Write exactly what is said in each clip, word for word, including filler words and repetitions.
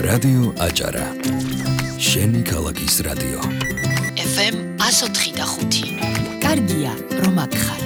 რადიო აჭარა. შენი ქალაქის რადიო. ეფ ემ one oh three point five. კარგია, რომ აქ ხარ.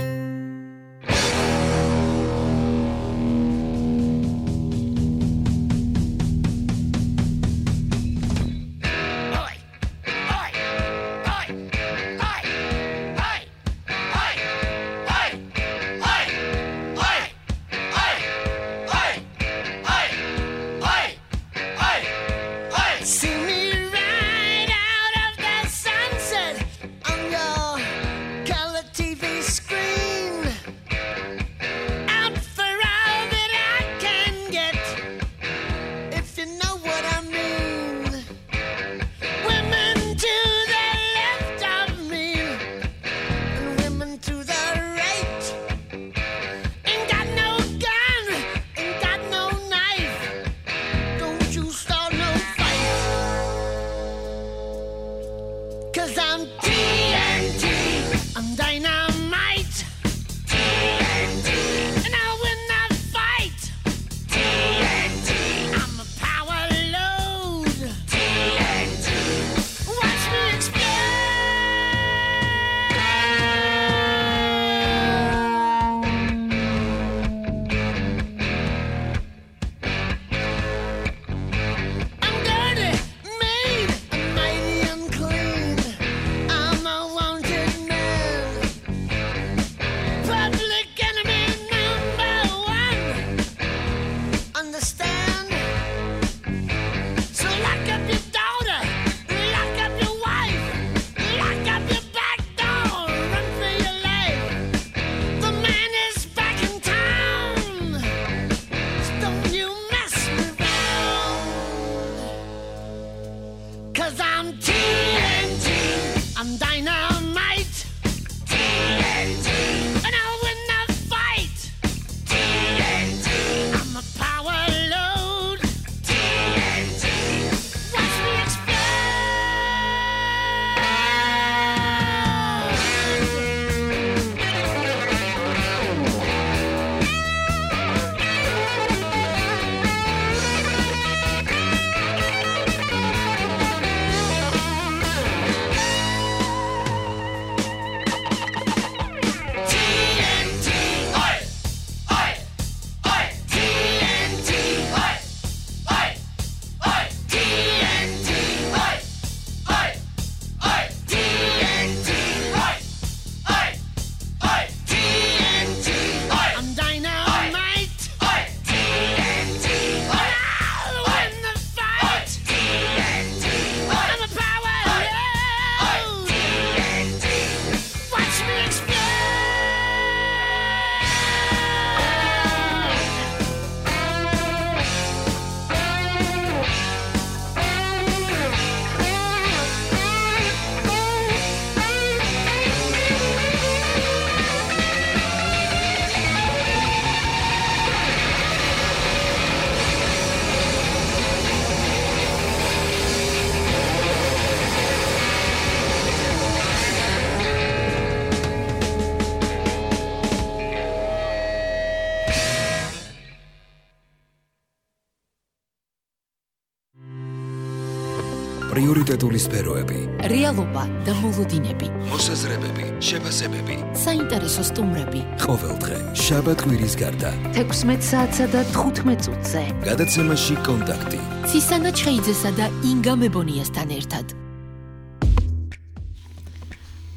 პრიორიტეტული სფეროები, რეალობა და მოლოდინები, მოსაზრებები, შეფასებები, საინტერესო სტუმრები. ყოველდღე, შაბათ-კვირის გარდა, თექვსმეტ საათსა და თხუთმეტ წუთზე. გადაცემაში კონტაქტი. ცისანა ჩხეიძესა და ინგა მებონიასთან ერთად.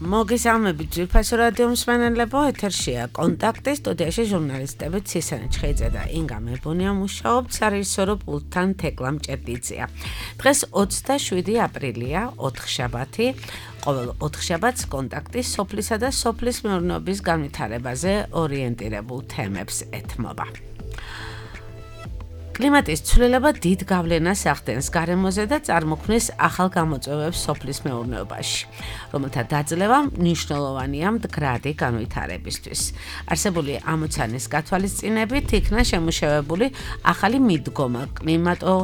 მოგესალმებით ძვირფასო რადიო მსმენელებო, ეთერშია კონტაქტი, სტუდიაში ჟურნალისტები ცისანა ჩხეიძე და ინგა მებონია მუშაობთ, სარეჟისორო პულტთან თეკლა მჭედიძეა. დღეს ოცდაშვიდი აპრილია, ოთხშაბათი. ყოველ ოთხშაბათს კონტაქტი სოფლისა და სოფლის მეურნეობის განვითარებაზე ორიენტირებულ თემებს ეთმობა. კლიმატის ცვლილება დიდ გავლენას ახდენს გარემოზე და წარმოქმნის ახალ გამოწვევებს სოფლის მეურნეობაში, რომელთა დაძლევა მნიშვნელოვანია მდგრადი განვითარებისთვის. არსებული ამოცანის გათვალისწინებით იქნა შემუშავებული ახალი მიდგომა კლიმატო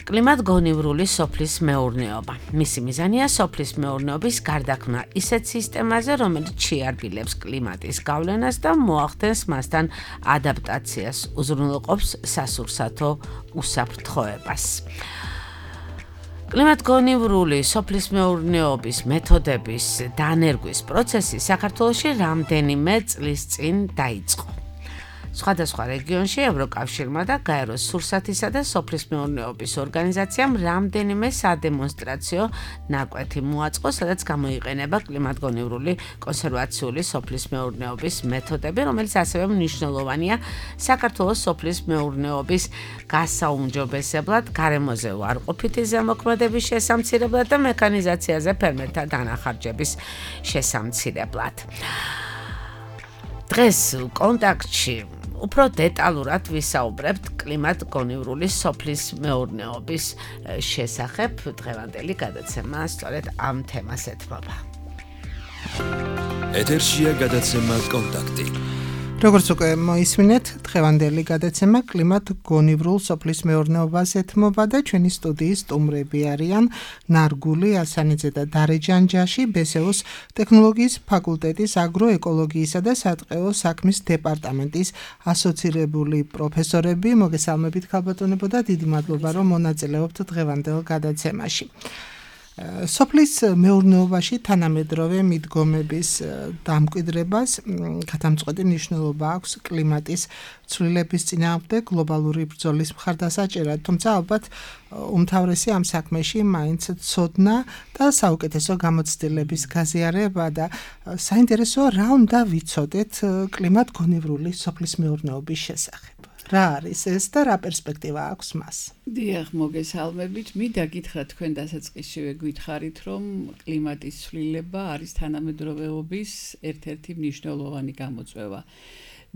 კლიმატგონივრული სოფლის მეურნეობა. მისი მიზანია სოფლის მეურნეობის გარდაქმნა ისეთ სისტემაზე, რომელიც შეარბილებს კლიმატის გავლენას და მოახდენს მასთან ადაპტაციას, უზრუნველყოფს სასურსათო უსაფრთხოებას. კლიმატგონივრული სოფლის მეურნეობის მეთოდების დანერგვის პროცესი საქართველოში რამდენიმე წლის წინ დაიწყო. სხვადასხვა რეგიონში ევროკავშირმა და გაეროს სურსათისა და სოფლის მეურნეობის ორგანიზაციამ რამდენიმე სადემონსტრაციო ნაკვეთი მოაწყო, სადაც გამოიყენება კლიმატგონივრული კონსერვაციული სოფლის მეურნეობის მეთოდები, რომელიც ასევე მნიშვნელოვანია საქართველოს სოფლის მეურნეობის გასაუმჯობესებლად, გარემოზე უარყოფითი ზემოქმედების შესამცირებლად და მექანიზაციაზე ფერმერთა დანახარჯების შესამცირებლად. დღეს კონტაქტში უფრო დეტალურად ვისაუბრებთ კლიმატგონივრული სოფლის მეურნეობის შესახებ. დღევანდელი გადაცემა სწორედ ამ თემას ეთმობა. ეთერშია გადაცემა კონტაქტი. როგორც უკვე მოისმინეთ, დღევანდელი გადაცემა კლიმატგონივრულ სოფლის მეურნეობას ეთმობა და ჩვენი სტუდიის სტუმრები არიან ნარგული ასანიძე და დარე ჯანჯაში, ბესეოს ტექნოლოგიის ფაკულტეტის აგროეკოლოგიისა და სატყეო საქმის დეპარტამენტის ასოცირებული პროფესორები. მოგესალმებით ქალბატონებო და დიდი მადლობა რომ მონაწილეობთ დღევანდელ გადაცემაში. სოფლის მეურნეობაში თანამედროვე მიდგომების დამკვიდრებას გადამწყვეტი მნიშვნელობა აქვს კლიმატის ცვლილების წინააღმდეგ გლობალური ბრძოლის მხარდასაჭერად, თუმცა ალბათ უმთავრესი ამ საქმეში მაინც ცოდნა და საუკეთესო გამოცდილების გაზიარება და საინტერესოა რა უნდა ვიცოდეთ კლიმატგონივრული სოფლის მეურნეობის შესახებ. რა არის ეს და რა პერსპექტივა აქვს მას? დიახ, მოგესალმებით. მინდა გითხრათ თქვენ დასაწყისშივე გითხარით, რომ კლიმატის ცვლილება არის თანამედროვეობის ერთ-ერთი მნიშვნელოვანი გამოწვევა.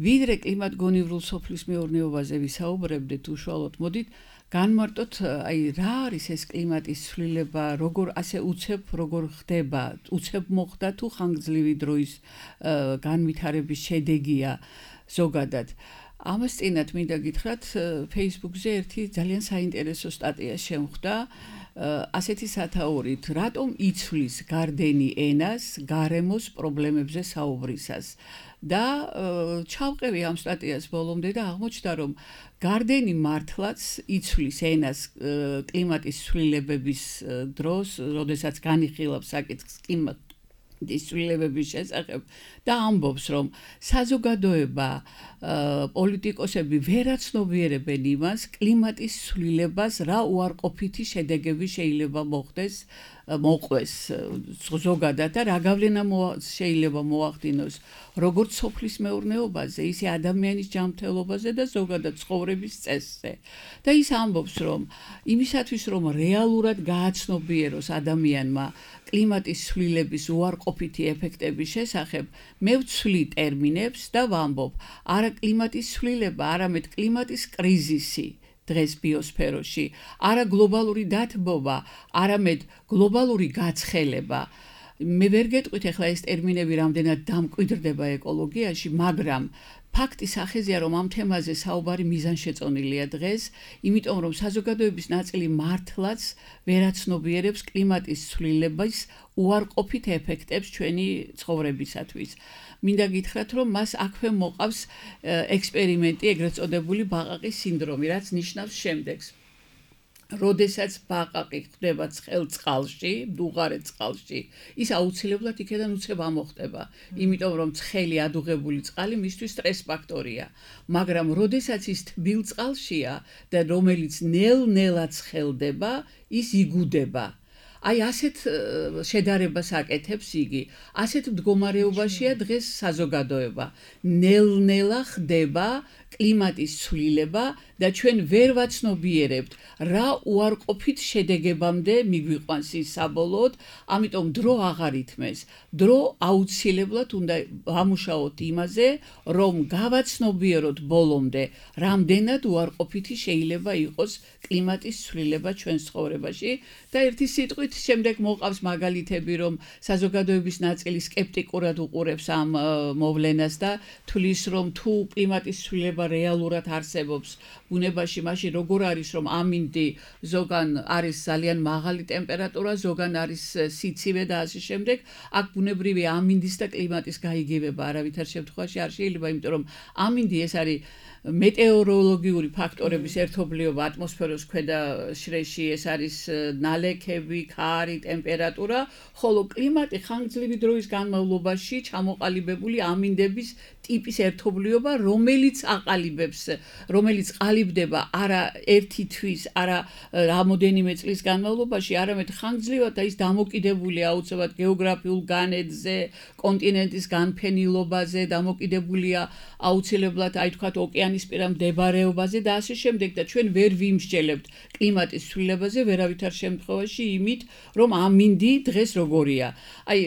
ვიდრე კლიმატგონივრულ სოფლის მეურნეობაზე ვისაუბრებდეთ, უშუალოდ მოდით განმარტოთ, აი რა არის ეს კლიმატის ცვლილება, როგორ ასე უცებ როგორ ხდება, უცებ მოხდა თუ ხანგრძლივი დროის განვითარების შედეგია ზოგადად. ამას წინათ მინდა გითხრათ, Facebook-ზე ერთი ძალიან საინტერესო სტატია შემხვდა, ასეთი სათაურით, რატომ იცვლის გარდენი ენას გარემოს პრობლემებზე საუბრისას. და ჩავყევი ამ სტატიას ბოლომდე და აღმოჩნდა, რომ გარდენი მართლაც იცვლის ენას კლიმატის ცვლილებების დროს, როდესაც განიხილავს საკითხს კლიმატ ცვლილებების შესახებ და ამბობს, რომ საზოგადოება, პოლიტიკოსები ვერ აცნობიერებენ იმას, კლიმატის ცვლილებას რა უარყოფითი შედეგები შეიძლება მოხდეს, მოყვეს ზოგადად და რა გავლენა შეიძლება მოახდინოს როგორც სოფლის მეურნეობაზე, ისე ადამიანის ჯანმრთელობაზე და ზოგადად ცხოვრების წესზე. და ის ამბობს, რომ იმისათვის, რომ რეალურად გააცნობიეროს ადამიანმა კლიმატის ცვლილების უარყოფითი ეფექტების შესახებ, მე ვცვლი ტერმინებს და ვამბობ, არა კლიმატის ცვლილება, არამედ კლიმატის კრიზისი დღეს ბიოსფეროში, არა გლობალური დათბობა, არამედ გლობალური გაცხელება. მე ვერ გეტყვით ახლა ეს ტერმინები რამდენად დამკვიდრდება ეკოლოგიაში, მაგრამ ფაქტი სახეზეა, რომ ამ თემაზე საუბარი მიზანშეწონილია დღეს, იმიტომ რომ საზოგადოების ნაწილი მართლაც ვერ აცნობიერებს კლიმატის ცვლილების უარყოფით ეფექტებს ჩვენი ცხოვრებისათვის. მინდა გითხრათ, რომ მას აქვე მოყავს ექსპერიმენტი, ეგრეთ წოდებული ბაყაყის სინდრომი, რაც ნიშნავს შემდეგს. როდესაც ბაყაყი ხდება ცხელ წყალში, დუღარე წყალში, ის აუცილებლად იქედან უცებ ამოხდება, იმიტომ რომ ცხელი ადუღებული წყალი მისთვის სტრეს ფაქტორია. მაგრამ როდესაც ის თბილ წყალშია და რომელიც ნელ-ნელად ცხელდება, ის იგუდება. აი ასეთ შედარებას აკეთებს იგი. ასეთ მდგომარეობაშია დღეს საზოგადოება. ნელ-ნელა ხდება კლიმატის ცვლილება და ჩვენ ვერ ვაცნობიერებთ რა უარყოფით შედეგებამდე მიგვიყვანს ის საბოლოოდ, ამიტომ დრო აღარ ითმეს. დრო აუცილებლად უნდა ვამუშაოთ იმაზე, რომ გავაცნობიეროთ ბოლომდე, რამდენად უარყოფითი შეიძლება იყოს კლიმატის ცვლილება ჩვენს ცხოვრებაში და ერთი სიტყვით შემდეგ მოყავს მაგალითები, რომ საზოგადოების ნაწილი სკეპტიკურად უყურებს ამ მოვლენას და თვლის, რომ თუ კლიმატის ცვლილება რეალურად არსებობს, ბუნებაში, მაშინ როგორ არის რომ ამინდი ზოგან არის ძალიან მაღალი ტემპერატურა, ზოგან არის სიცივე და ასე შემდეგ, აქ ბუნებრივი ამინდის და კლიმატის გაიგივება არავითარ შემთხვევაში არ შეიძლება, იმიტომ რომ ამინდი ეს არის მეტეოროლოგიური ფაქტორების ერთობლიობა ატმოსფეროს ქვედა შრეში, ეს არის ნალექები, ქარი, ტემპერატურა, ხოლო კლიმატი ხანგრძლივი დროის განმავლობაში ჩამოყალიბებული ამინდების ტიპის ერთობლიობა, რომელიც აყალიბებს, რომელიც ყალიბდება არა ერთი თვის, არა რამოდენიმე წლის განმავლობაში, არამედ ხანგრძლივად და ის დამოკიდებულია აუცილებლად გეოგრაფიულ განედზე, კონტინენტის განფენილობაზე, დამოკიდებულია აუცილებლად, აი თქვათ, ოკეანისპირა მდებარეობაზე და ასე შემდეგ და ჩვენ ვერ ვიმსჯელებთ კლიმატის ცვლილებაზე ვერავითარ შემთხვევაში იმით, რომ ამინდი დღეს როგორია. აი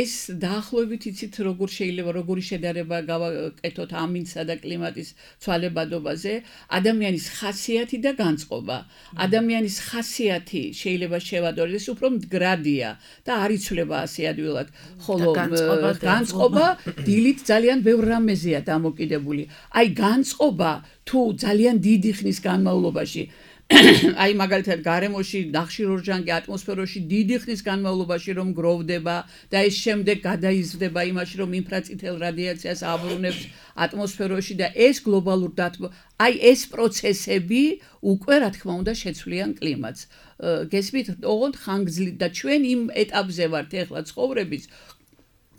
ეს დაახლოებით იცით როგორ შეიძლება როგორი შედარება გავაკეთოთ ამინდსა და კლიმატის ცვალებადობაზე, ადამიანის ხასიათი და განწყობა. ადამიანის ხასიათი შეიძლება შევადაროთ, ეს უფრო მდგრადია და არ იცვლება ასე ადვილად, ხოლო განწყობა დილით ძალიან ბევრ რამეზეა დამოკიდებული. აი განწყობა თუ ძალიან დიდი ხნის განმავლობაში აი მაგალითად გარემოში ნახშირორჟანგი ატმოსფეროში დიდი ხნის განმავლობაში რომ გროვდება და ეს შემდეგ გადაიზრდება იმაში რომ ინფრაწითელ რადიაციას აბრუნებს ატმოსფეროში და ეს გლობალურ დათბო აი ეს პროცესები უკვე რა თქმა უნდა შეცვლიან კლიმატს. გესმით, ოღონდ ხანგრძლივ და ჩვენ იმ ეტაპზე ვართ ეხლა ცხოვრების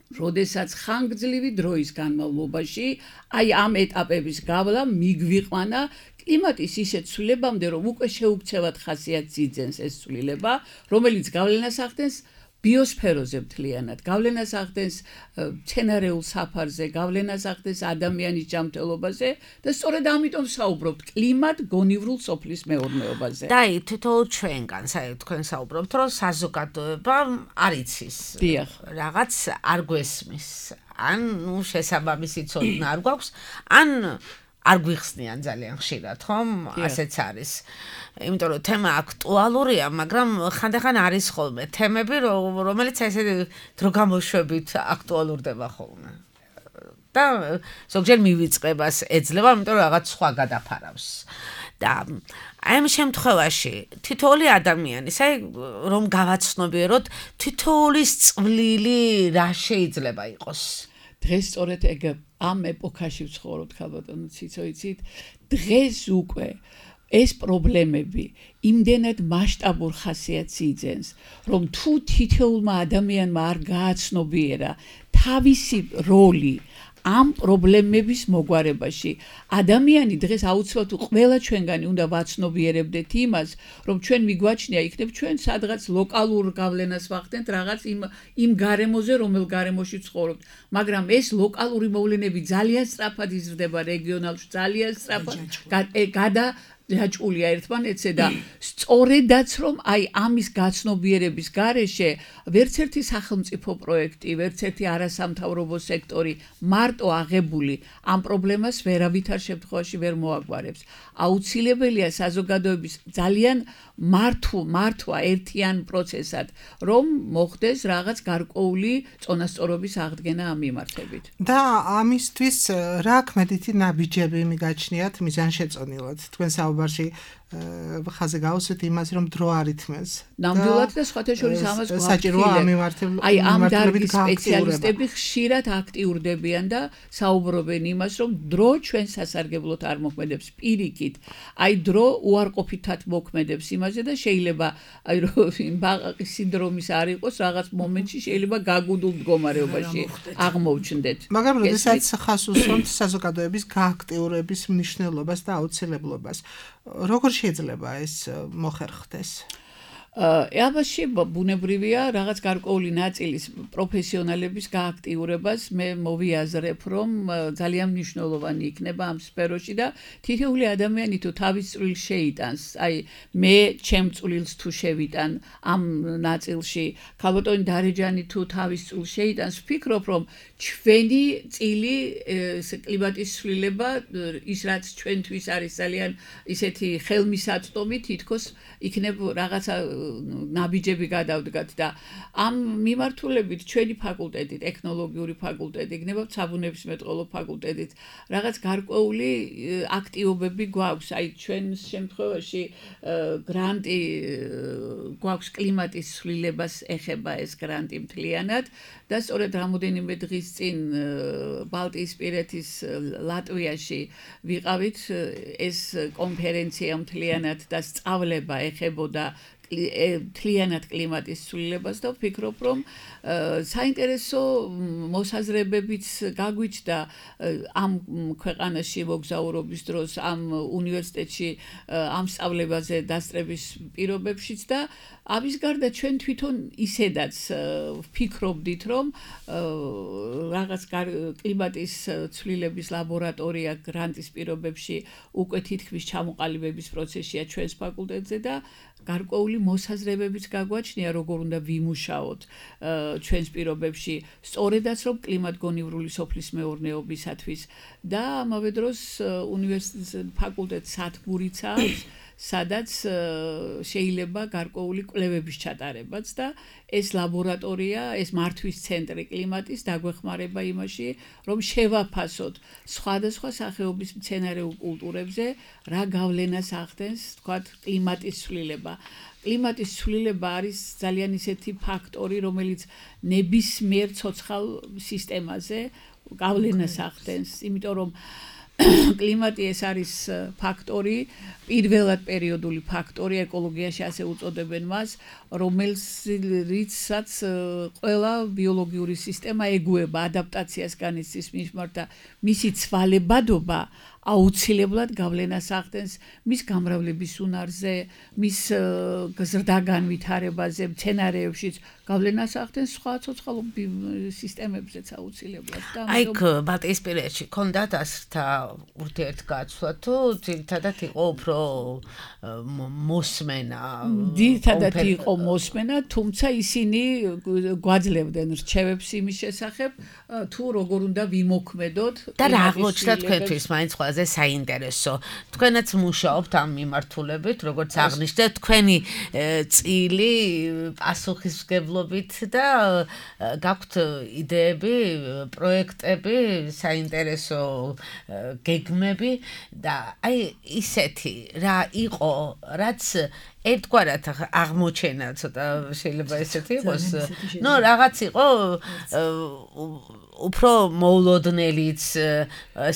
როდესაც ხანგრძლივი დროის განმავლობაში აი ამ ეტაპების გავლა მიგვიყვანა კლიმატის ისეთ ცვლილებამდე, რომ უკვე შეუქცევად ხასიათს იძენს ეს ცვლილება, რომელიც გავლენას ახდენს ბიოსფეროზე მთლიანად, გავლენას ახდენს მცენარეულ საფარზე, გავლენას ახდენს ადამიანის ჯანმრთელობაზე და სწორედ ამიტომ საუბრობთ კლიმატ-გონივრულ სოფლის მეურნეობაზე. და აი თითოეულ ჩვენგანს, აი თქვენ საუბრობთ, რომ საზოგადოება არ იცის. რაღაც არ გვესმის. ან ნუ შესაბამისი ცოდნა არ გვაქვს, ან არ გვიხსნიან ძალიან ხშირად, ხომ? ასეც არის. იმიტომ რომ თემა აქტუალურია, მაგრამ ხანდახან არის ხოლმე თემები, რომელიც ესე დრო გამოშვებით აქტუალურდება ხოლმე. და ზოგჯერ მივიწყებას ეძლევა, იმიტომ რომ რაღაც სხვა გადაფარავს. და აი ამ შემთხვევაში თითოეული ადამიანის, აი რომ გავაცნობიეროთ, თითოეულის წვლილი რა შეიძლება იყოს? დღეს სწორედ ეგ ამ ეპოქაში ვცხოვრობთ, ხალბატონო ციცო, იცით, დღეს უკვე ეს პრობლემები იმდენად მასშტაბურ ხასიათს იძენს, რომ თუ თითოეულმა ადამიანმა არ გააცნობიერა თავისი როლი ამ პრობლემების მოგვარებაში, ადამიანი დღეს აუცილებლად ყველა ჩვენგანი უნდა ვაცნობიერებდეთ იმას, რომ ჩვენ მიგვაჩნია იქნებ ჩვენ სადღაც ლოკალურ გავლენას ვახდენთ რაღაც იმ იმ გარემოზე, რომელ გარემოში ვცხოვრობთ, მაგრამ ეს ლოკალური მოვლენები ძალიან სწრაფად იზრდება რეგიონალში, ძალიან სწრაფად გადა დაჭულია ერთმანეთზე და სწორედაც რომ აი ამის გაცნობიერების გარეშე ვერც ერთი სახელმწიფო პროექტი, ვერც ერთი არასამთავრობო სექტორი მარტო აღებული ამ პრობლემას ვერავითარ შემთხვევაში ვერ მოაგვარებს. აუცილებელია საზოგადოების ძალიან მართვა, მართვა ერთიან პროცესად, რომ მოხდეს რაღაც გარკვეული წონასწორობის აღდგენა ამ მიმართებით. და ამისთვის რა ქმედითი ნაბიჯები მიგაჩნიათ მიზანშეწონილად? თქვენ საუბარში ხაზე გავუსვით იმას, რომ დრო არ ითმევს. ნამდვილად და სხვათა შორის ამას საჭიროა ამ მიმართულებით. აი ამ დარგის სპეციალისტები ხშირად აქტიურდებიან და საუბრობენ იმას, რომ დრო ჩვენ სასარგებლოდ არ მოქმედებს პირიქით. აი დრო უარყოფითად მოქმედებს იმაზე და შეიძლება აი რომ ბაყაყის სინდრომის არ იყოს რაღაც მომენტში შეიძლება გაგუდულ მდგომარეობაში აღმოჩნდეთ. მაგრამ როდესაც ხას უსვამთ საზოგადოების გააქტიურების მნიშვნელობას და აუცილებლობას, როგორ შეიძლება ეს მოხერხდეს? ამაში ბუნებრივია რაღაც გარკვეული ნაწილის პროფესიონალების გააქტიურებას მე მოვიაზრებ, რომ ძალიან მნიშვნელოვანი იქნება ამ სფეროში და თითოეული ადამიანი თუ თავის წვლილს შეიტანს, აი მე ჩემ წვლილს თუ შევიტან ამ ნაწილში, ხალბატონი დარეჯანი თუ თავის წვლილს შეიტანს, ვფიქრობ, რომ ჩვენი წილი კლიმატის ცვლილება ის რაც ჩვენთვის არის ძალიან ისეთი ხელმისაწვდომი, თითქოს იქნებ რაღაცა ნაბიჯები გადავდგათ და ამ მიმართულებით ჩვენი ფაკულტეტი, ტექნოლოგიური ფაკულტეტი, იქნება საბუნებისმეტყველო ფაკულტეტიც. რაღაც გარკვეული აქტივობები გვაქვს, აი ჩვენს შემთხვევაში გრანტი გვაქვს კლიმატის ცვლილებას ეხება ეს გრანტი მთლიანად და სწორედ რამოდენიმე დღის წინ ბალტიისპირეთის ლატვიაში ვიყავით ეს კონფერენცია მთლიანად და სწავლება ეხებოდა მთლიანად კლიმატის ცვლილებას და ვფიქრობ, რომ საინტერესო მოსაზრებებიც გაგვიჩნდა ამ ქვეყანაში მოგზაურობის დროს, ამ უნივერსიტეტში ამ სწავლებაზე დასწრების პირობებშიც და ამის გარდა ჩვენ თვითონ ისედაც ვფიქრობდით, რომ რაღაც კლიმატის ცვლილების ლაბორატორია გრანტის პირობებში უკვე თითქმის ჩამოყალიბების პროცესია ჩვენს ფაკულტეტზე და გარკვეული მოსაზრებებიც გაგვაჩნია, როგორ უნდა ვიმუშაოთ ჩვენს პირობებში, სწორედაც რომ კლიმატგონივრული სოფლის მეურნეობისათვის და ამავე დროს უნივერსიტეტის ფაკულტეტს სათბურიც აქვს, სადაც შეიძლება გარკვეული კვლევების ჩატარებაც და ეს ლაბორატორია, ეს მართვის ცენტრი კლიმატის დაგვეხმარება იმაში, რომ შევაფასოთ სხვადასხვა სახეობის მცენარეულ კულტურებზე რა გავლენას ახდენს, თქვათ, კლიმატის ცვლილება. კლიმატის ცვლილება არის ძალიან ისეთი ფაქტორი, რომელიც ნებისმიერ ცოცხალ სისტემაზე გავლენას ახდენს, იმიტომ რომ კლიმატი ეს არის ფაქტორი, პირველად პერიოდული ფაქტორი, ეკოლოგიაში ასე უწოდებენ მას, რომელსაც ყველა ბიოლოგიური სისტემა ეგუება, ადაპტაციას განიცდის მიმართ და მისი ცვალებადობა აუცილებლად გავლენას ახდენს მის გამრავლების უნარზე, მის ზრდაგანვითარებაზე, მცენარეებშიც გავლენას ახდენს სხვა ცოცხალ სისტემებზეც აუცილებლად და აი ბალტიისპირეთში ქონდათ ასრთა ურთიერთგაცვლა თუ ძირითადად იყო უფრო მოსმენა ძირითადად იყო მოსმენა, თუმცა ისინი გვაძლევდნენ რჩევებს იმის შესახებ თუ როგორ უნდა ვიმოქმედოთ და რა აღმოჩნდა თქვენთვის მაინც ყველაზე საინტერესო. თქვენაც მუშაობთ ამ მიმართულებით, როგორც აღნიშნეთ, თქვენი წილი პასუხისმგებლობით და გაქვთ იდეები, პროექტები, საინტერესო გეგმები და აი ისეთი რა იყო, რაც ერთგვარად აღმოჩენა, ცოტა შეიძლება ესეთი იყოს. ნუ რაღაც იყო უფრო მოულოდნელიც,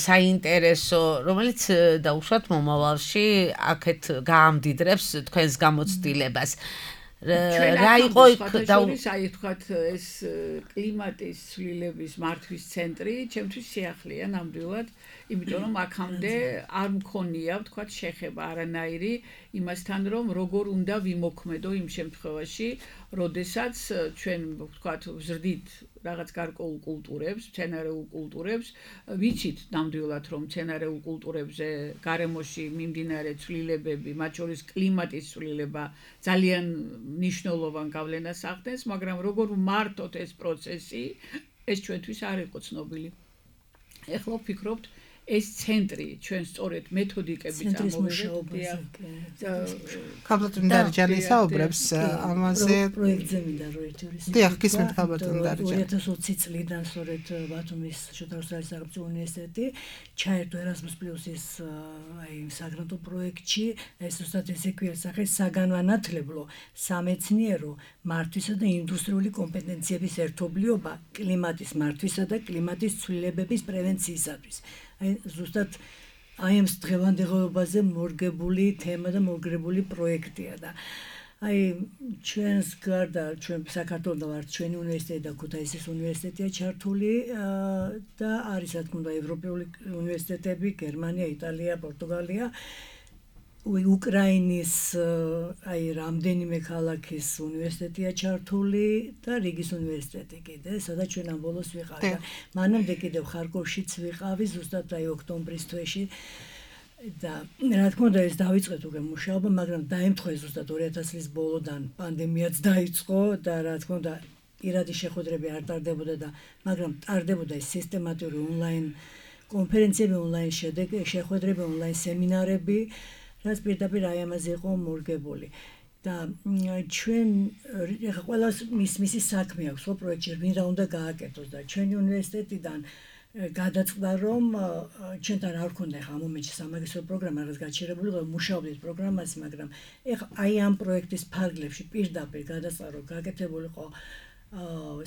საინტერესო, რომელიც დაუშვათ მომავალში აქეთ გაამდიდრებს თქვენს გამოცდილებას. რა იყო აი თქვათ ეს კლიმატის ცვლილების მართვის ცენტრი, ჩემთვის სიახლეა ნამდვილად, იმიტომ რომ აქამდე არ მქონია, თქვათ, შეხება არანაირი იმასთან, რომ როგორ უნდა ვიმოქმედო იმ შემთხვევაში, როდესაც ჩვენ, თქვათ, ვზრდით რაღაც გარკვეულ კულტურებს, მცენარეულ კულტურებს, ვიცით ნამდვილად, რომ მცენარეულ კულტურებზე გარემოში მიმდინარე ცვლილებები, მათ შორის კლიმატის ცვლილება ძალიან მნიშვნელოვან გავლენას ახდენს, მაგრამ როგორ ვმართოთ ეს პროცესი, ეს ჩვენთვის არ იყო ცნობილი. ეხლა ვფიქრობთ, ეს ცენტრი ჩვენ სწორედ მეთოდიკებით ამოვიღეთ. ქალბატონ დარიჯანი საუბრებს ამაზე პროექტზე მინდა რომ ერთი ორი დიახ, გისმენთ ქალბატონ დარიჯანი. ორი ათას ოცი წლიდან სწორედ ბათუმის შოთა რუსთაველის სახელმწიფო უნივერსიტეტი ჩაერთო Erasmus Plus-ის აი საგრანტო პროექტში, ეს უბრალოდ ესე ქვია სახე საგანმანათლებლო, სამეცნიერო, მართვისა და ინდუსტრიული კომპეტენციების ერთობლიობა კლიმატის მართვისა და კლიმატის ცვლილებების პრევენციისათვის. აი ზუსტად აი ამ დღევანდელობაზე მორგებული თემა და მორგებული პროექტია და აი ჩვენს გარდა ჩვენ საქართველოს ვართ, ჩვენი უნივერსიტეტი და ქუთაისის უნივერსიტეტია ჩართული და არის რა თქმა უნდა ევროპული უნივერსიტეტები, გერმანია, იტალია, პორტუგალია, უკრაინის აი რამდენიმე ქალაქის უნივერსიტეტია ჩართული და რიგის უნივერსიტეტი კიდე, სადაც ჩვენ ამ ბოლოს ვიყავით. მანამდე კიდევ ხარკოვშიც ვიყავი, ზუსტად აი ოქტომბრის თვეში და რა თქმა უნდა ეს დავიწყეთ უკვე მუშაობა, მაგრამ დაემთხვა ზუსტად ორი ათასი წლის ბოლოდან პანდემიაც დაიწყო და რა თქმა უნდა პირადი შეხვედრები არ ტარდებოდა და მაგრამ ტარდებოდა ეს სისტემატიური ონლაინ კონფერენციები, ონლაინ შეხვედრები, ონლაინ სემინარები, რაც პირდაპირ აი ამაზე იყო მორგებული. და ჩვენ ეხლა ყველას მის მისი საქმე აქვს ხო პროექტში ვინ რა უნდა გააკეთოს და ჩვენი უნივერსიტეტიდან გადაწყდა რომ ჩვენთან არ ქონდა ხა ამ მომენტში სამაგისტრო პროგრამა რაც გაჩერებული იყო მუშაობდით პროგრამაზე მაგრამ ეხლა აი ამ პროექტის ფარგლებში პირდაპირ გადაწყდა რომ გაკეთებული იყო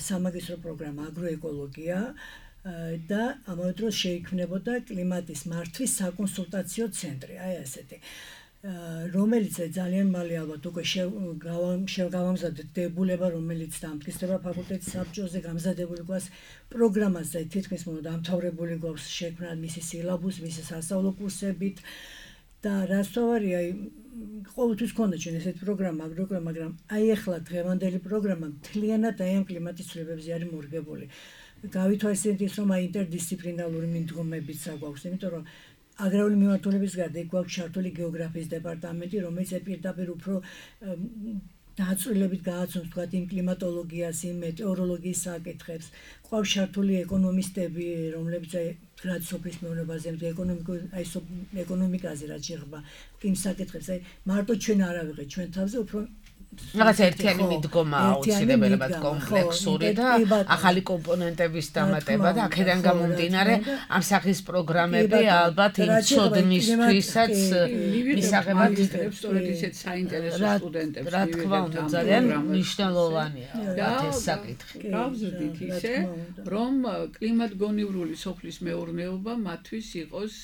სამაგისტრო პროგრამა აგროეკოლოგია და ამავე დროს შეიქმნებოდა კლიმატის მართვის საკონსულტაციო ცენტრი აი ასეთი რომელიც ძალიან მალე ალბათ უკვე შევგავამზადეთ დებულება რომელიც დამტკიცდება ფაკულტეტის საბჭოზე გამზადებული გვაქვს პროგრამაზე თითქმის მოდი დამთავრებული გვაქვს შექმნა მისი სილაბუსი მისი სასწავლო კურსებით და რაც თავარია ყოველთვის ქონდა ჩვენ ესეთი პროგრამა აგროეკოლოგია მაგრამ აი ახლა დღევანდელი პროგრამა მთლიანად აი ამ კლიმატის ცვლილებებზე არის მორგებული გავითვალისწინეთ ის რომ აი ინტერდისციპლინარული მიდგომებიც აგვაქვს იმიტომ რომ აგრარული მიმართულების გარდა იქ გვაქვს ჩართული გეოგრაფიის დეპარტამენტი რომელიც პირდაპირ უფრო დაწვრილებით გააცნობს თქვათ იმ კლიმატოლოგიას იმ მეტეოროლოგიის საკითხებს გვაქვს ჩართული ეკონომისტები რომლებიც აი რაც სოფლის მეურნეობაზე ეკონომიკურ აი ეკონომიკაზე რაც შეეხება იმ საკითხებს აი მარტო ჩვენ არ ავიღეთ ჩვენ თავზე უფრო რაღაც ერთიანი მიდგომა აუცილებელად კომპლექსური და ახალი კომპონენტების დამატება და აქედან გამომდინარე ამ სახის პროგრამები ალბათ იმ ცოდნისთვისაც მისაღებად სწორედ ისეთ საინტერესო სტუდენტებს რა თქმა უნდა ძალიან მნიშვნელოვანია ეს საკითხი. გავზრდით ისე რომ კლიმატგონივრული სოფლის მეურნეობა მათთვის იყოს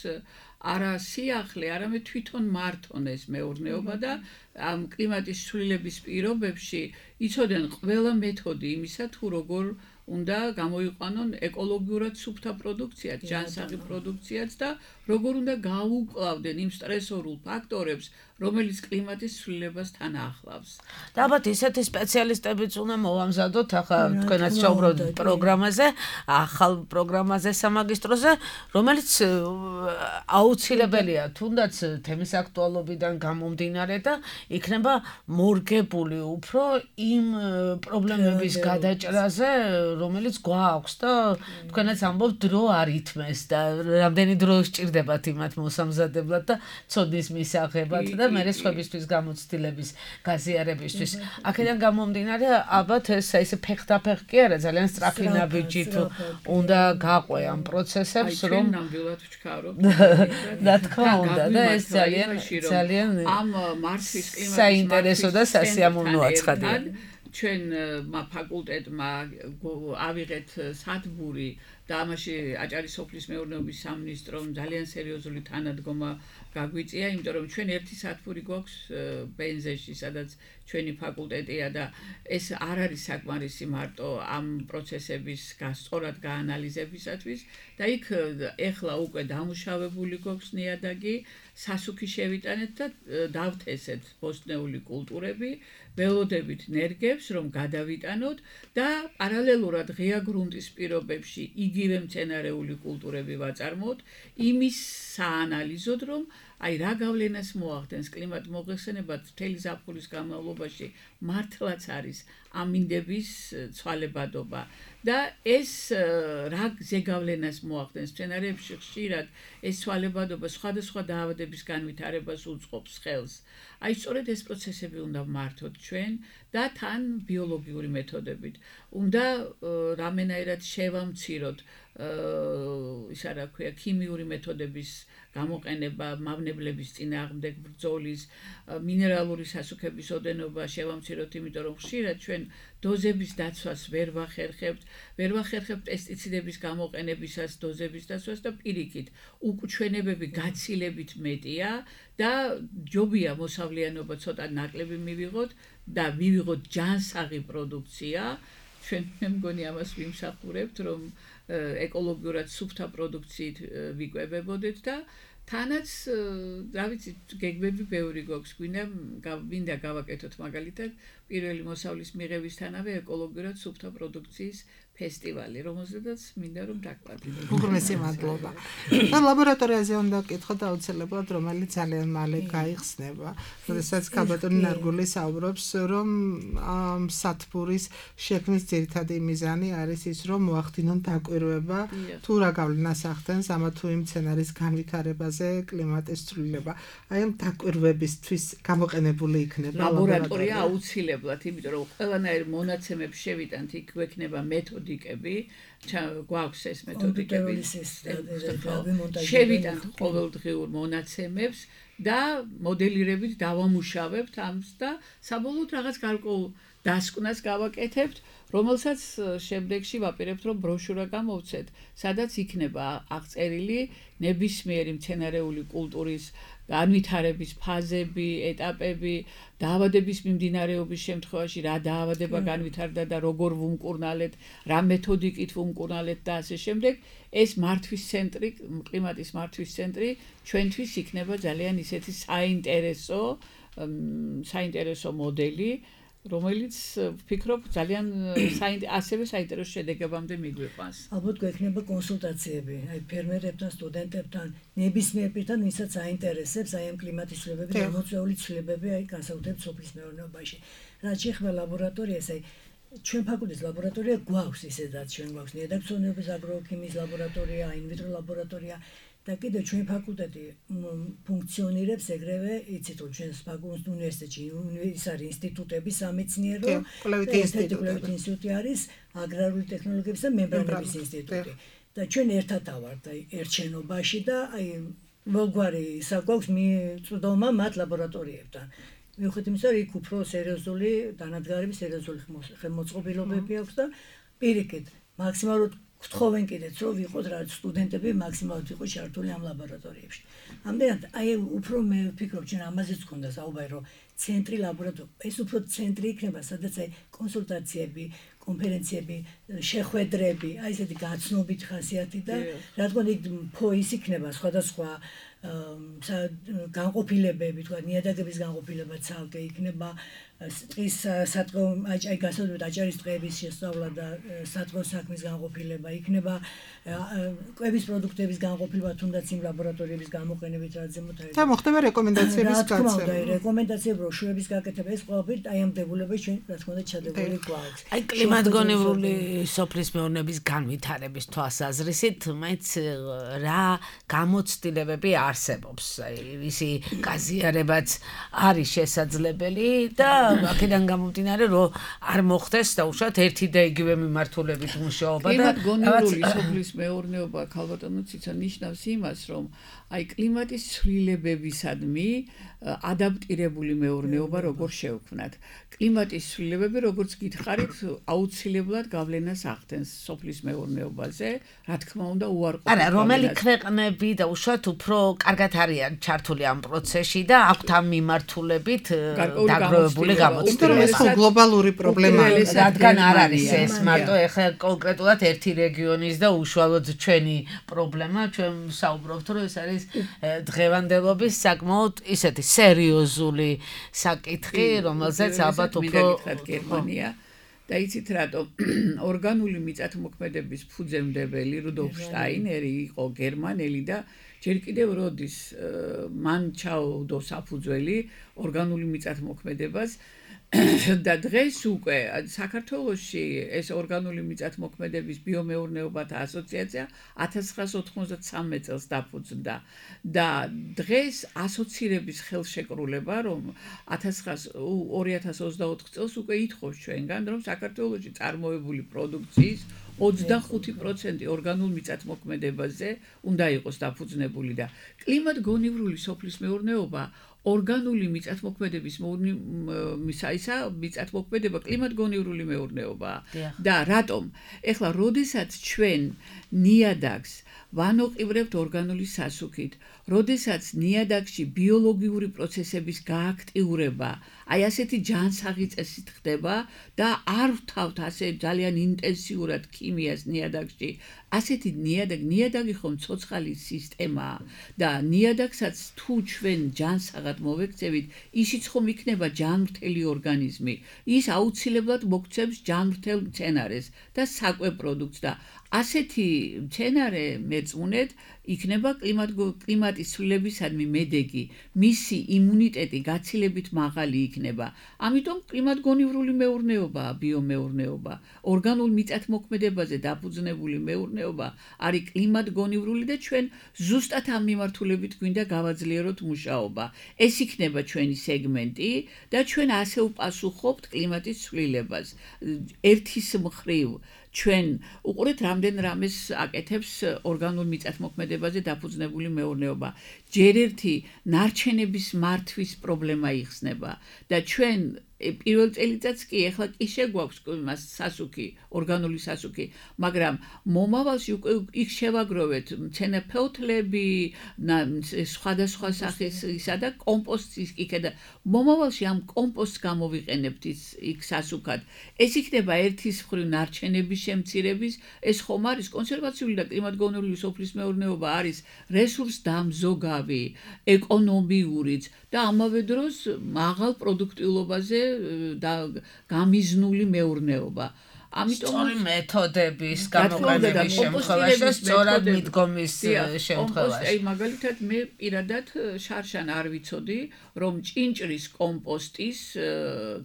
არა სიახლე, არამედ თვითონ მართონ ეს მეურნეობა და ამ კლიმატის ცვლილების პირობებში იცოდნენ ყველა მეთოდი იმისა თუ როგორ უნდა გამოიყვანონ ეკოლოგიურად სუფთა პროდუქციაც, ჯანსაღი პროდუქციაც და როგორ უნდა გაუკლავდნენ იმ სტრესორულ ფაქტორებს, რომელიც კლიმატის ცვლილებას თან ახლავს. და ალბათ ისეთი სპეციალისტებიც უნდა მოვამზადოთ, ახლა თქვენაც საუბრობთ პროგრამაზე, ახალ პროგრამაზე სამაგისტროზე, რომელიც აუცილებელია თუნდაც თემის აქტუალობიდან გამომდინარე და იქნება მორგებული უფრო იმ პრობლემების გადაჭრაზე, რომელიც გვაქვს და თქვენაც ამბობთ დრო არ ითმეს და რამდენი დრო სჭირდებათ იმათ მოსამზადებლად და ცოდნის მისაღებად და მე სხვებისთვის გამოცდილების გაზიარებისთვის. აქედან გამომდინარე ალბათ ეს ესე ფეხდაფეხ კი არა ძალიან სწრაფი ნაბიჯით უნდა გაყვე ამ პროცესებს რომ ნამდვილად ვჩქარობ. რა თქმა უნდა და ეს ძალიან ძალიან ამ მართვის კლიმატის საინტერესო და სასიამოვნო აცხადია. ჩვენ ფაკულტეტმა ავიღეთ სათბური და ამაში აჭარის სოფლის მეურნეობის სამინისტრომ ძალიან სერიოზული თანადგომა გაგვიწია, იმიტომ რომ ჩვენ ერთი სათბური გვაქვს ბენზეში, სადაც ჩვენი ფაკულტეტია და ეს არ არის საკმარისი მარტო ამ პროცესების სწორად გაანალიზებისათვის და იქ ეხლა უკვე დამუშავებული გვაქვს ნიადაგი, სასუქი შევიტანეთ და დავთესეთ ბოსტნეული კულტურები, ველოდებით ნერგებს რომ გადავიტანოთ და პარალელურად ღია გრუნტის პირობებში იგივე მცენარეული კულტურები ვაწარმოოთ იმის საანალიზოდ რომ აი რა გავლენას მოახდენს კლიმატ მოხსენებად მთელი ზაფხულის განმავლობაში მართლაც არის ამინდების ცვალებადობა და ეს რა ზეგავლენას მოახდენს მცენარეებში ხშირად ეს ცვალებადობა სხვადასხვა დაავადების განვითარებას უწყობს ხელს. აი სწორედ ეს პროცესები უნდა მართოთ ჩვენ და თან ბიოლოგიური მეთოდებით. უნდა რამენაირად შევამციროთ ისა რა ქვია ქიმიური მეთოდების გამოყენება, მავნებლების წინააღმდეგ ბრძოლის, მინერალური სასუქების ოდენობა შევამციროთ, იმიტომ რომ ხშირად ჩვენ დოზების დაცვას ვერ ვახერხებთ, ვერ ვახერხებთ პესტიციდების გამოყენებისას დოზების დაცვას და პირიქით უკუჩვენებები გაცილებით მეტია და ჯობია მოსავლიანობა ცოტა ნაკლები მივიღოთ და მივიღოთ ჯანსაღი პროდუქცია. ჩვენ მე მგონი ამას ვიმსახურებთ, რომ ეკოლოგიურად სუფთა პროდუქციით ვიკვებებოდეთ და თანაც რა ვიცი გეგმები ბევრი გვაქვს, გვინდა მინდა გავაკეთოთ მაგალითად პირველი მოსავლის მიღებისთანავე ეკოლოგიურად სუფთა პროდუქციის ფესტივალი, რომელზედაც მინდა რომ დაგვადგინოთ. უღრმესი მადლობა. და ლაბორატორიაზე უნდა გკითხოთ აუცილებლად, რომელიც ძალიან მალე გაიხსნება. როდესაც ქაბატონი ნარგული საუბრობს, რომ ამ სათბურის შექმნის ძირითადი მიზანი არის ის, რომ მოახდინონ დაკვირვება თუ რა გავლენას ახდენს ამა თუ იმ მცენარის განვითარებას მეურნეობაზე კლიმატის ცვლილება. აი ამ დაკვირვებისთვის გამოყენებული იქნება ლაბორატორია აუცილებლად, იმიტომ რომ ყველანაირ მონაცემებს შევიტანთ, იქ გვექნება მეთოდიკები, გვაქვს ეს მეთოდიკები. შევიტანთ ყოველდღიურ მონაცემებს და მოდელირებით დავამუშავებთ ამს და საბოლოოდ რაღაც გარკვეულ დასკვნას გავაკეთებთ, რომელსაც შემდეგში ვაპირებთ, რომ ბროშურა გამოვცეთ, სადაც იქნება აღწერილი ნებისმიერი მცენარეული კულტურის განვითარების ფაზები, ეტაპები, დაავადების მიმდინარეობის შემთხვევაში რა დაავადება განვითარდა და როგორ ვუმკურნალეთ, რა მეთოდიკით ვუმკურნალეთ და ასე შემდეგ. ეს მართვის ცენტრი, კლიმატის მართვის ცენტრი ჩვენთვის იქნება ძალიან ისეთი საინტერესო, საინტერესო მოდელი, რომელიც ვფიქრობ ძალიან ასევე საინტერესო შედეგებამდე მიგვიყვანს. ალბათ გვექნება კონსულტაციები, აი ფერმერებთან, სტუდენტებთან, ნებისმიერ პირთან, ვისაც აინტერესებს აი ამ კლიმატის ცვლილებები, გამოწვეული ცვლილებები, აი განსაკუთრებით სოფლის მეურნეობაში. რაც შეეხება ლაბორატორიას, აი ჩვენ ფაკულტეტის ლაბორატორია გვაქვს ისედაც, ჩვენ გვაქვს ნიადაგთმცოდნეობის აგროქიმიის ლაბორატორია, ინვიტრო ლაბორატორია და კიდევ ჩვენ ფაკულტეტი ფუნქციონირებს ეგრევე, იცით რომ ჩვენს ფაკულტეტის უნივერსიტეტში ის არის ინსტიტუტები სამეცნიერო, კვლევითი ინსტიტუტი არის აგრარული ტექნოლოგიების და მემბრანების ინსტიტუტი. და ჩვენ ერთად ავართ აი ერთ შენობაში და აი მოგვარი საგვაქვს მიწვდომა მათ ლაბორატორიებთან. მიუხედავად იმისა, რომ იქ უფრო სერიოზული დანადგარების, სერიოზული ხელმოწყობილობები აქვს და პირიქით მაქსიმალურად გთხოვენ კიდეც რომ ვიყოთ რა სტუდენტები მაქსიმალურად ვიყოთ ჩართული ამ ლაბორატორიებში. ამდენად აი უფრო მე ვფიქრობ ჩვენ ამაზეც გქონდა საუბარი რომ ცენტრი ლაბორატორია, ეს უფრო ცენტრი იქნება, სადაც აი კონსულტაციები, კონფერენციები, შეხვედრები, აი ესეთი გაცნობით ხასიათი და რა თქმა უნდა ის იქნება სხვადასხვა განყოფილებები, თქვა ნიადაგების განყოფილება ცალკე იქნება, ტყის სატყეო აი გასაგებად აჭარის ტყეების შესწავლა და სატყეო საქმის განყოფილება იქნება, კვების პროდუქტების განყოფილება თუნდაც იმ ლაბორატორიების გამოყენებით რაც ზემოთ არის. და მოხდება რეკომენდაციების გაცემა. და რეკომენდაციები ბროშურების გაკეთება ეს ყველაფერი აი ამ დებულების ჩვენ რა თქმა უნდა ჩადებული გვაქვს. აი კლიმატგონივრული სოფლის მეურნეობის განვითარების თვალსაზრისით მაინც რა გამოცდილებები არსებობს. აი ისი გაზიარებაც არის შესაძლებელი და აქედან გამომდინარე რომ არ მოხდეს დაუშვათ ერთი და იგივე მიმართულებით მუშაობა და კლიმატგონივრული სოფლის მეურნეობა ქალბატონო ციცო ნიშნავს იმას რომ აი კლიმატის ცვლილებებისადმი ადაპტირებული მეურნეობა როგორ შევქმნათ. კლიმატის ცვლილებები როგორც გითხარით აუცილებლად გავლენას ახდენს სოფლის მეურნეობაზე, რა თქმა უნდა უარყოფით. არა, რომელი ქვეყნები დაუშვათ უფრო კარგად არიან ჩართული ამ პროცესში და აქვთ ამ მიმართულებით დაგროვებული გამოცდილება. ეს გლობალური პრობლემაა, რადგან არ არის ეს მარტო ეხლა კონკრეტულად ერთი რეგიონის და უშუალოდ ჩვენი პრობლემა, ჩვენ საუბრობთ რომ ეს არის დღევანდელობის საკმაოდ ისეთი სერიოზული საკითხი, რომელზეც ალბათ უფრო გერმანია და იცით რატომ ორგანული მიწათმოქმედების ფუძემდებელი რუდოლფ შტაინერი იყო გერმანელი და ჯერ კიდევ როდის მან ჩაუდო საფუძველი ორგანული მიწათმოქმედებას და დღეს უკვე საქართველოში ეს ორგანული მიწათმოქმედების ბიომეურნეობათა ასოციაცია ათას ცხრაასი ოთხმოცდათსამე წელს დაფუძნდა და დღეს ასოცირების ხელშეკრულება რომ ორი ათას ოცდაოთხ წელს უკვე ითხოვს ჩვენგან რომ საქართველოში წარმოებული პროდუქციის ოცდახუთი პროცენტი ორგანულ მიწათმოქმედებაზე უნდა იყოს დაფუძნებული და კლიმატგონივრული სოფლის მეურნეობა ორგანული მიწათმოქმედების მისაისა მიწათმოქმედება კლიმატგონივრული მეურნეობაა და რატომ? ეხლა როდესაც ჩვენ ნიადაგს ვანოყივრებთ ორგანული სასუქით, როდესაც ნიადაგში ბიოლოგიური პროცესების გააქტიურება, აი ასეთი ჯანსაღი წესით ხდება და არ ვთავთ ასე ძალიან ინტენსიურად ქიმიას ნიადაგში, ასეთი ნიადაგ ნიადაგი ხომ ცოცხალი სისტემაა და ნიადაგსაც თუ ჩვენ ჯანსაღად მოვექცევით, ისიც ხომ იქნება ჯანმრთელი ორგანიზმი, ის აუცილებლად მოგცემს ჯანმრთელ მცენარეს და საკვე პროდუქტს და ასეთი მცენარე მეწმუნედ იქნება კლიმატ კლიმატ კლიმატის ცვლილებისადმი მედეგი, მისი იმუნიტეტი გაცილებით მაღალი იქნება. ამიტომ კლიმატგონივრული მეურნეობაა ბიომეურნეობა. ორგანულ მიწათმოქმედებაზე დაფუძნებული მეურნეობა არის კლიმატგონივრული და ჩვენ ზუსტად ამ მიმართულებით გვინდა გავაძლიეროთ მუშაობა. ეს იქნება ჩვენი სეგმენტი და ჩვენ ასე ვპასუხობთ კლიმატის ცვლილებას. ერთის მხრივ ჩვენ უყურეთ რამდენ რამეს აკეთებს ორგანულ მიწათმოქმედებაზე დაფუძნებული მეურნეობა. ჯერ ერთი ნარჩენების მართვის პრობლემა იხსნება და ჩვენ პირველ წელიწადს კი ეხლა კი შეგვაქვს მას სასუქი, ორგანული სასუქი, მაგრამ მომავალში უკვე იქ შევაგროვეთ მცენარეფოთლები, სხვადასხვა სახის ისა და კომპოსტის იქ და მომავალში ამ კომპოსტს გამოვიყენებთ იქ სასუქად. ეს იქნება ერთის მხრივ ნარჩენების შემცირების, ეს ხომ არის კონსერვაციული და კლიმატგონივრული სოფლის მეურნეობა არის რესურსდამზოგავი, ეკონომიურიც და ამავე დროს მაღალ პროდუქტიულობაზე და გამიზნული მეურნეობა. ამიტომ სწორი მეთოდების გამოყენების შემთხვევაში და სწორად მიდგომის შემთხვევაში. აი მაგალითად მე პირადად შარშან არ ვიცოდი, რომ ჭინჭრის კომპოსტის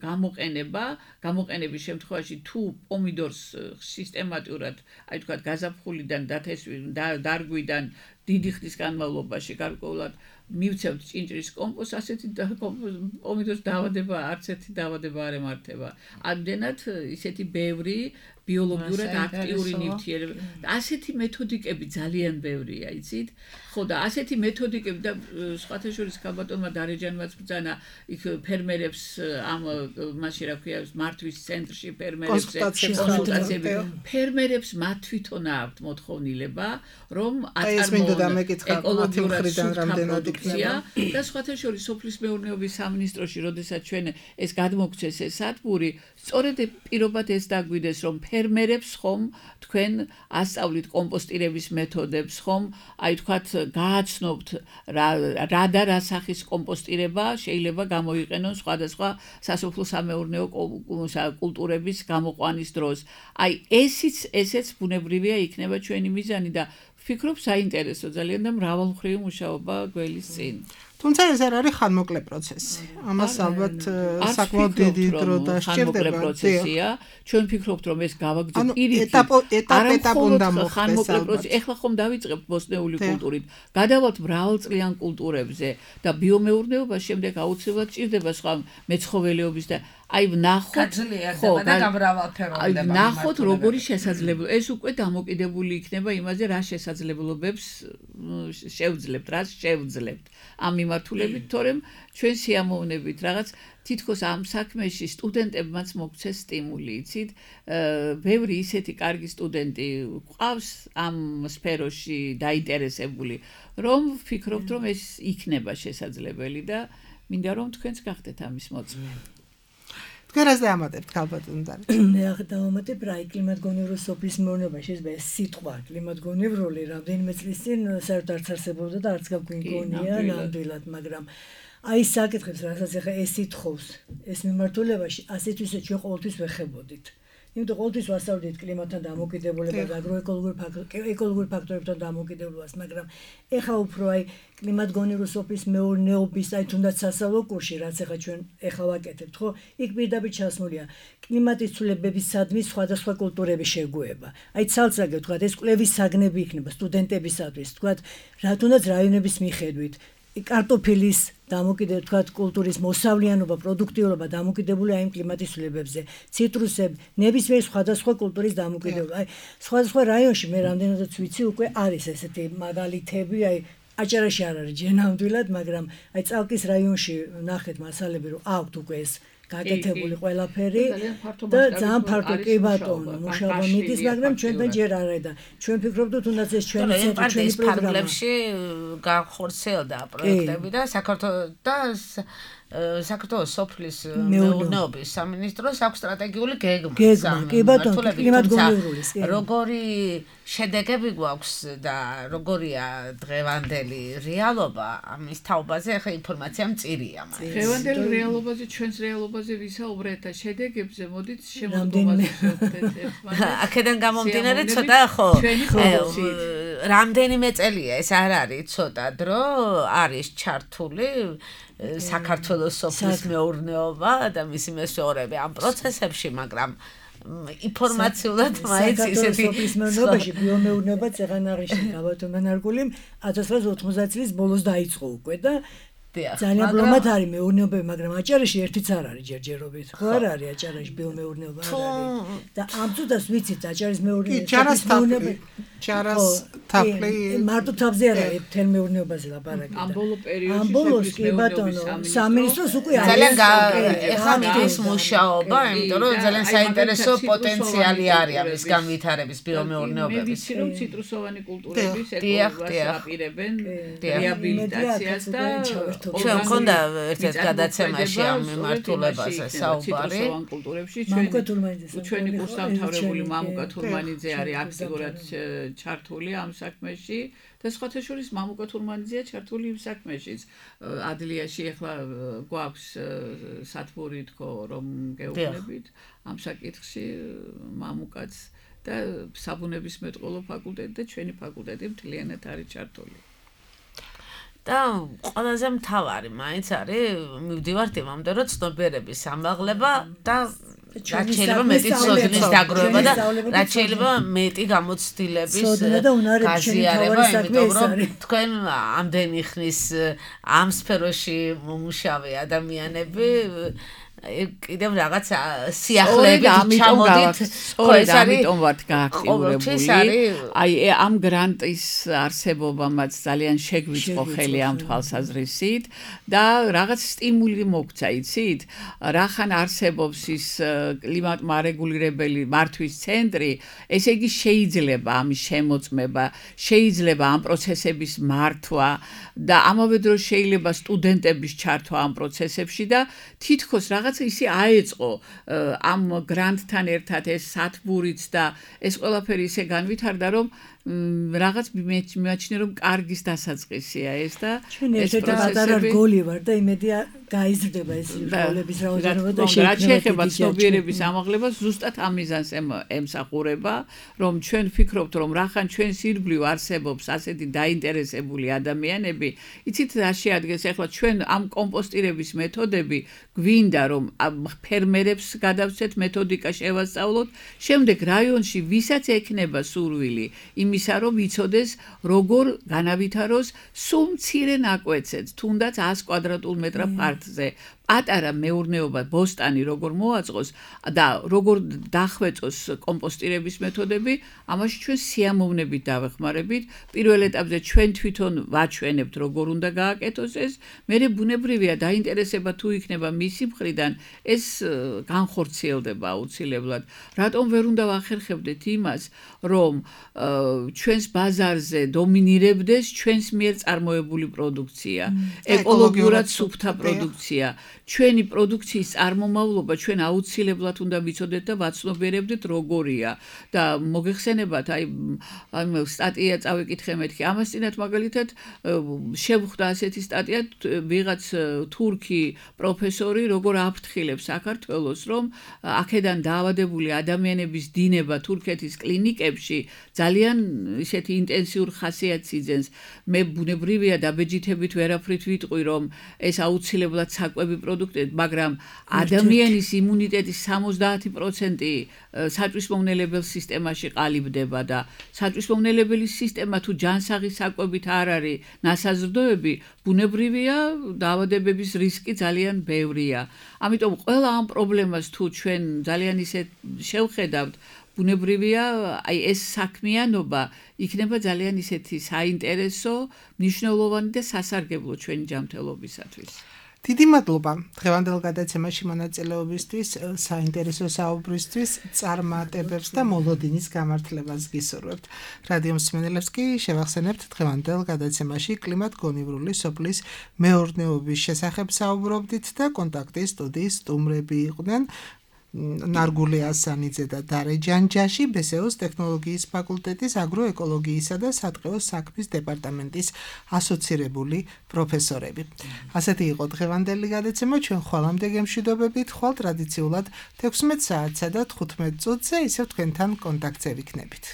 გამოყენება, გამოყენების შემთხვევაში თუ პომიდორს სისტემატურად, აი თქვა გაზაფხულიდან დარგვიდან დიდი ხნის განმავლობაში გარკვეულად მივცემთ ჭინჭრის კომპოსტს, ასეთი პომიდორს დაავადება, არც ერთი დაავადება არ ემართება. ამდენად ისეთი ბევრი ბიოლოგიურად აქტიური ნივთიერება. ასეთი მეთოდიკები ძალიან ბევრია, იცით? ხო და ასეთი მეთოდიკები და სხვათა შორის ქალბატონმა დარეჯანმაც ბრძანა იქ ფერმერებს ამ მასში რა ქვია მართვის ცენტრში ფერმერებს კონსულტაციები. ფერმერებს მათ თვითონ აქვთ მოთხოვნილება, რომ აწარმოონ ეკოლოგიურად პროდუქცია და სხვათა შორის სოფლის მეურნეობის სამინისტროში, როდესაც ჩვენ ეს გადმოგცეს ეს სადგური, სწორედ პირობად ეს დაგვიდეს, რომ ფერმერებს ხომ თქვენ ასწავლით კომპოსტირების მეთოდებს, ხომ აი თქვათ გააცნობთ რა და რა სახის კომპოსტირება შეიძლება გამოიყენონ სხვადასხვა სასოფლო სამეურნეო კულტურების გამოყვანის დროს. აი ესიც ესეც ბუნებრივია იქნება ჩვენი მიზანი და ვფიქრობ საინტერესო ძალიან და მრავალმხრივი მუშაობა გველის წინ. თუმცა ეს არ არის ხანმოკლე პროცესი. ამას ალბათ საკმაოდ დიდი დრო დასჭირდება. პროცესია. ჩვენ ვფიქრობთ, რომ ეს გავაგრძელოთ პირიქით. ეტაპ ეტაპ უნდა მოხდეს. ეხლა ხომ დავიწყებთ ბოსტნეული კულტურით. გადავალთ მრავალწლიან კულტურებზე და ბიომეურნეობა შემდეგ აუცილებლად ჭირდება სხვა მეცხოველეობის და აი ვნახოთ ხო და გამრავალფეროვნება. ვნახოთ როგორი შესაძლებლობა. ეს უკვე დამოკიდებული იქნება იმაზე, რა შესაძლებლობებს შევძლებთ, რა შევძლებთ. ამ მიმართულებით, თორემ ჩვენ სიამოვნებით რაღაც თითქოს ამ საქმეში სტუდენტებმაც მოგცეს სტიმული, იცით? ბევრი ისეთი კარგი სტუდენტი ყავს ამ სფეროში დაინტერესებული, რომ ვფიქრობთ, რომ ეს იქნება შესაძლებელი და მინდა რომ თქვენც გახდეთ ამის მოწმე. თქვენ რას დაამატებთ ქალბატონ და? მე ახლა დავამატებ რა კლიმატგონივრული სოფლის მეურნეობაში ეს სიტყვა კლიმატგონივრული რამდენიმე წლის წინ საერთოდ არც არსებობდა და არც გაგვიგონია ნამდვილად, მაგრამ აი საკითხებს რასაც ახლა ეს ითხოვს ეს მიმართულებაში ასეთვise ჩვენ ყოველთვის ვეხებოდით. იმიტომ ყოველთვის ვასწავლით კლიმატთან დამოკიდებულებას, აგროეკოლოგიურ ეკოლოგიურ ფაქტორებთან დამოკიდებულებას, მაგრამ ეხლა უფრო აი კლიმატგონივრული სოფლის მეურნეობის აი თუნდაც სასწავლო კურსში, რაც ეხლა ჩვენ ეხლა ვაკეთებთ, ხო? იქ პირდაპირ ჩასმულია კლიმატის ცვლილებებისადმი სხვადასხვა კულტურების შეგუება. აი ცალ-ცალკე თქვა ეს კვლევის საგნები იქნება სტუდენტებისათვის, თქვა რა თუნდაც რაიონების მიხედვით კარტოფილის დამოკიდებული თქვა კულტურის მოსავლიანობა, პროდუქტიულობა დამოკიდებულია იმ კლიმატის ცვლილებებზე. ციტრუსები, ნებისმიერ სხვადასხვა კულტურის დამოკიდებულება. აი სხვადასხვა რაიონში მე რამდენადაც ვიცი უკვე არის ესეთი მაგალითები, აი აჭარაში არ არის ჯენამდვილად, მაგრამ აი წალკის რაიონში ნახეთ მასალები, რომ აქვთ უკვე ეს გაკეთებული ყველაფერი და ძალიან ფართო კი ბატონო მუშაობა მიდის, მაგრამ ჩვენთან ჯერ არ არის და ჩვენ ვფიქრობთ, თუნდაც ეს ჩვენი ცენტრი, ჩვენი პროგრამებში განხორციელდა პროექტები და საქართველოს და საქართველოს სოფლის მეურნეობის სამინისტროს აქვს სტრატეგიული გეგმა. კი ბატონო, კლიმატგონივრულის. როგორი შედეგები გვაქვს და როგორია დღევანდელი რეალობა, ამის თაობაზე ახლა ინფორმაცია მწირია მაგრამ. დღევანდელი რეალობაზე, ჩვენს რეალობაზე ვისაუბრეთ და შედეგებზე მოდით შემოგვიყვანოთ. აქედან გამომდინარე ცოტა ხო რამდენიმე წელია ეს არ არის ცოტა დრო არის ჩართული საქართველოს სოფლის მეურნეობა და მისი მესვეორები ამ პროცესებში, მაგრამ ინფორმაციულად მაინც ისეთი სოფლის მეურნეობაში ბიომეურნეობაც ეგან აღნიშნე გაბატონ მენარგული ათას ცხრაასი ოცდაათი წლის ბოლოს დაიწყო უკვე და ძალიან ბლომად არის მეურნეობები, მაგრამ აჭარაში ერთიც არ არის ჯერჯერობით. ხო არ არის აჭარაში ბიომეურნეობა არ არის. და ამ წუთას ვიცით აჭარის მეურნეობა. ჯარას თაფლი მარტო თავზე არ არის მთელ მეურნეობაზე ლაპარაკი. ამ ბოლო პერიოდში ამ ბოლოს კი ბატონო სამინისტროს უკვე არის. ძალიან ეხლა მიდის მუშაობა, იმიტომ რომ ძალიან საინტერესო პოტენციალი არის ამის განვითარების ბიომეურნეობების. მე ვიცი რომ ციტრუსოვანი კულტურების ეკოლოგიას აპირებენ რეაბილიტაციას და ჩვენ მქონდა ერთ-ერთ გადაცემაში ამ მიმართულებაზე საუბარი. კულტურებში ჩვენი ჩვენი კურსდამთავრებული მამუკა თურმანიძე არის აქტიურად ჩართული ამ საქმეში და სხვათა შორის მამუკა თურმანიძეა ჩართული იმ საქმეშიც. ადლიაში ახლა გვაქვს სათბური თქო რომ გეუბნებით ამ საკითხში მამუკაც და საბუნებისმეტყველო ფაკულტეტი და ჩვენი ფაკულტეტი მთლიანად არის ჩართული. და ყველაზე მთავარი მაინც არის მივდივართ იმამდე რომ ცნობიერების ამაღლება და რაც შეიძლება მეტი ცოდნის დაგროვება და რაც შეიძლება მეტი გამოცდილების გაზიარება, იმიტომ რომ თქვენ ამდენი ხნის ამ სფეროში მომუშავე ადამიანები კიდევ რაღაც სიახლეებით ჩამოდით, ხო ეს ამიტომ ვართ გააქტიურებული. აი ამ გრანტის არსებობამაც ძალიან შეგვიწყო ხელი ამ თვალსაზრისით და რაღაც სტიმული მოგცა, იცით? რახან არსებობს ის კლიმატმარეგულირებელი მართვის ცენტრი, ესე იგი შეიძლება ამის შემოწმება, შეიძლება ამ პროცესების მართვა და ამავე დროს შეიძლება სტუდენტების ჩართვა ამ პროცესებში და თითქოს რაღაც ისი აეწყო ამ გრანტთან ერთად ეს სათბურიც და ეს ყველაფერი ისე განვითარდა რომ რაღაც მეჩნე რომ კარგის დასაწყისია ეს და ეს პროცესები გოლი ვარ და იმედია გაიზრდება ეს როლების რაოდენობა და შეეხება ცნობიერების ამაღლებას ზუსტად ამ მიზანს ემსახურება რომ ჩვენ ვფიქრობთ რომ რახან ჩვენს ირგვლივ არსებობს ასეთი დაინტერესებული ადამიანები იცით რა შეადგენს ახლა ჩვენ ამ კომპოსტირების მეთოდები გვინდა რომ ფერმერებს გადავცეთ მეთოდიკა შევასწავლოთ შემდეგ რაიონში ვისაც ექნება სურვილი იმისა რომ იცოდეს როგორ განავითაროს სულ მცირე ნაკვეთზე თუნდაც ას კვადრატულ მეტრ ფართზე პატარა მეურნეობა ბოსტანი როგორ მოაწყოს და როგორ დახვეწოს კომპოსტირების მეთოდები ამაში ჩვენ სიამოვნებით დავეხმარებით პირველ ეტაპზე ჩვენ თვითონ ვაჩვენებთ როგორ უნდა გააკეთოს ეს მერე ბუნებრივია დაინტერესება თუ იქნება მისი მხრიდან ეს განხორციელდება აუცილებლად რატომ ვერ უნდა ვახერხებდეთ იმას რომ ჩვენს ბაზარზე დომინირებდეს ჩვენს მიერ წარმოებული პროდუქცია ეკოლოგიურად სუფთა პროდუქცია ჩვენი პროდუქციის წარმომავლობა ჩვენ აუცილებლად უნდა ვიცოდეთ და ვაცნობიერებდეთ როგორია და მოგეხსენებათ აი ამ სტატია წავიკითხე მეთქი ამას წინათ მაგალითად შევხვდა ასეთი სტატია ვიღაც თურქი პროფესორი როგორ აფრთხილებს საქართველოს რომ აქედან დაავადებული ადამიანების დინება თურქეთის კლინიკებში ძალიან ისეთი ინტენსიურ ხასიათს იძენს მე ბუნებრივია დაბეჯითებით ვერაფრით ვიტყვი რომ ეს აუცილებლად საკვები პროდუქტები მაგრამ ადამიანის იმუნიტეტის სამოცდაათი პროცენტი საწვისმომნელებელ სისტემაში ყალიბდება და საწვისმომნელებელი სისტემა თუ ჯანსაღი საკვებით არ არის ნასაზრდოები ბუნებრივია დაავადებების რისკი ძალიან ბევრია ამიტომ ყველა ამ პრობლემას თუ ჩვენ ძალიან ისე შევხედავთ ბუნებრივია აი ეს საქმიანობა იქნება ძალიან ისეთი საინტერესო მნიშვნელოვანი და სასარგებლო ჩვენი ჯანმრთელობისათვის დიდი მადლობა დღევანდელ გადაცემაში მონაწილეობისთვის, საინტერესო საუბრისთვის, წარმატებებს და მოლოდინის გამართლებას გისურვებთ. რადიო მსმენელებს კი შევახსენებთ დღევანდელ გადაცემაში კლიმატგონივრული სოფლის მეურნეობის შესახებ საუბრობდით და კონტაქტის სტუდიის სტუმრები იყვნენ ნარგული ასანიძე და დარე ჯანჯაში ბესეოს ტექნოლოგიის ფაკულტეტის აგროეკოლოგიისა და სატყეო საქმის დეპარტამენტის ასოცირებული პროფესორები. ასეთი იყო დღევანდელი გადაცემა ჩვენ ხვალამდე გემშვიდობებით ხვალ ტრადიციულად თექვსმეტ საათსა და თხუთმეტ წუთზე ისევ თქვენთან კონტაქტზე ვიქნებით.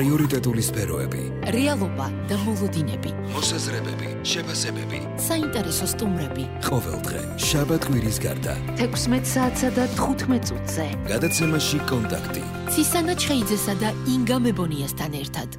პრიორიტეტული სფეროები, რეალობა და მოლოდინები, მოსაზრებები, შეფასებები, საინტერესო სტუმრები. ყოველდღე, შაბათ-კვირის გარდა. თექვსმეტ საათსა და თხუთმეტ წუთზე. გადაცემაში კონტაქტი. ცისანა ჩხეიძესა და ინგა მებონიასთან ერთად.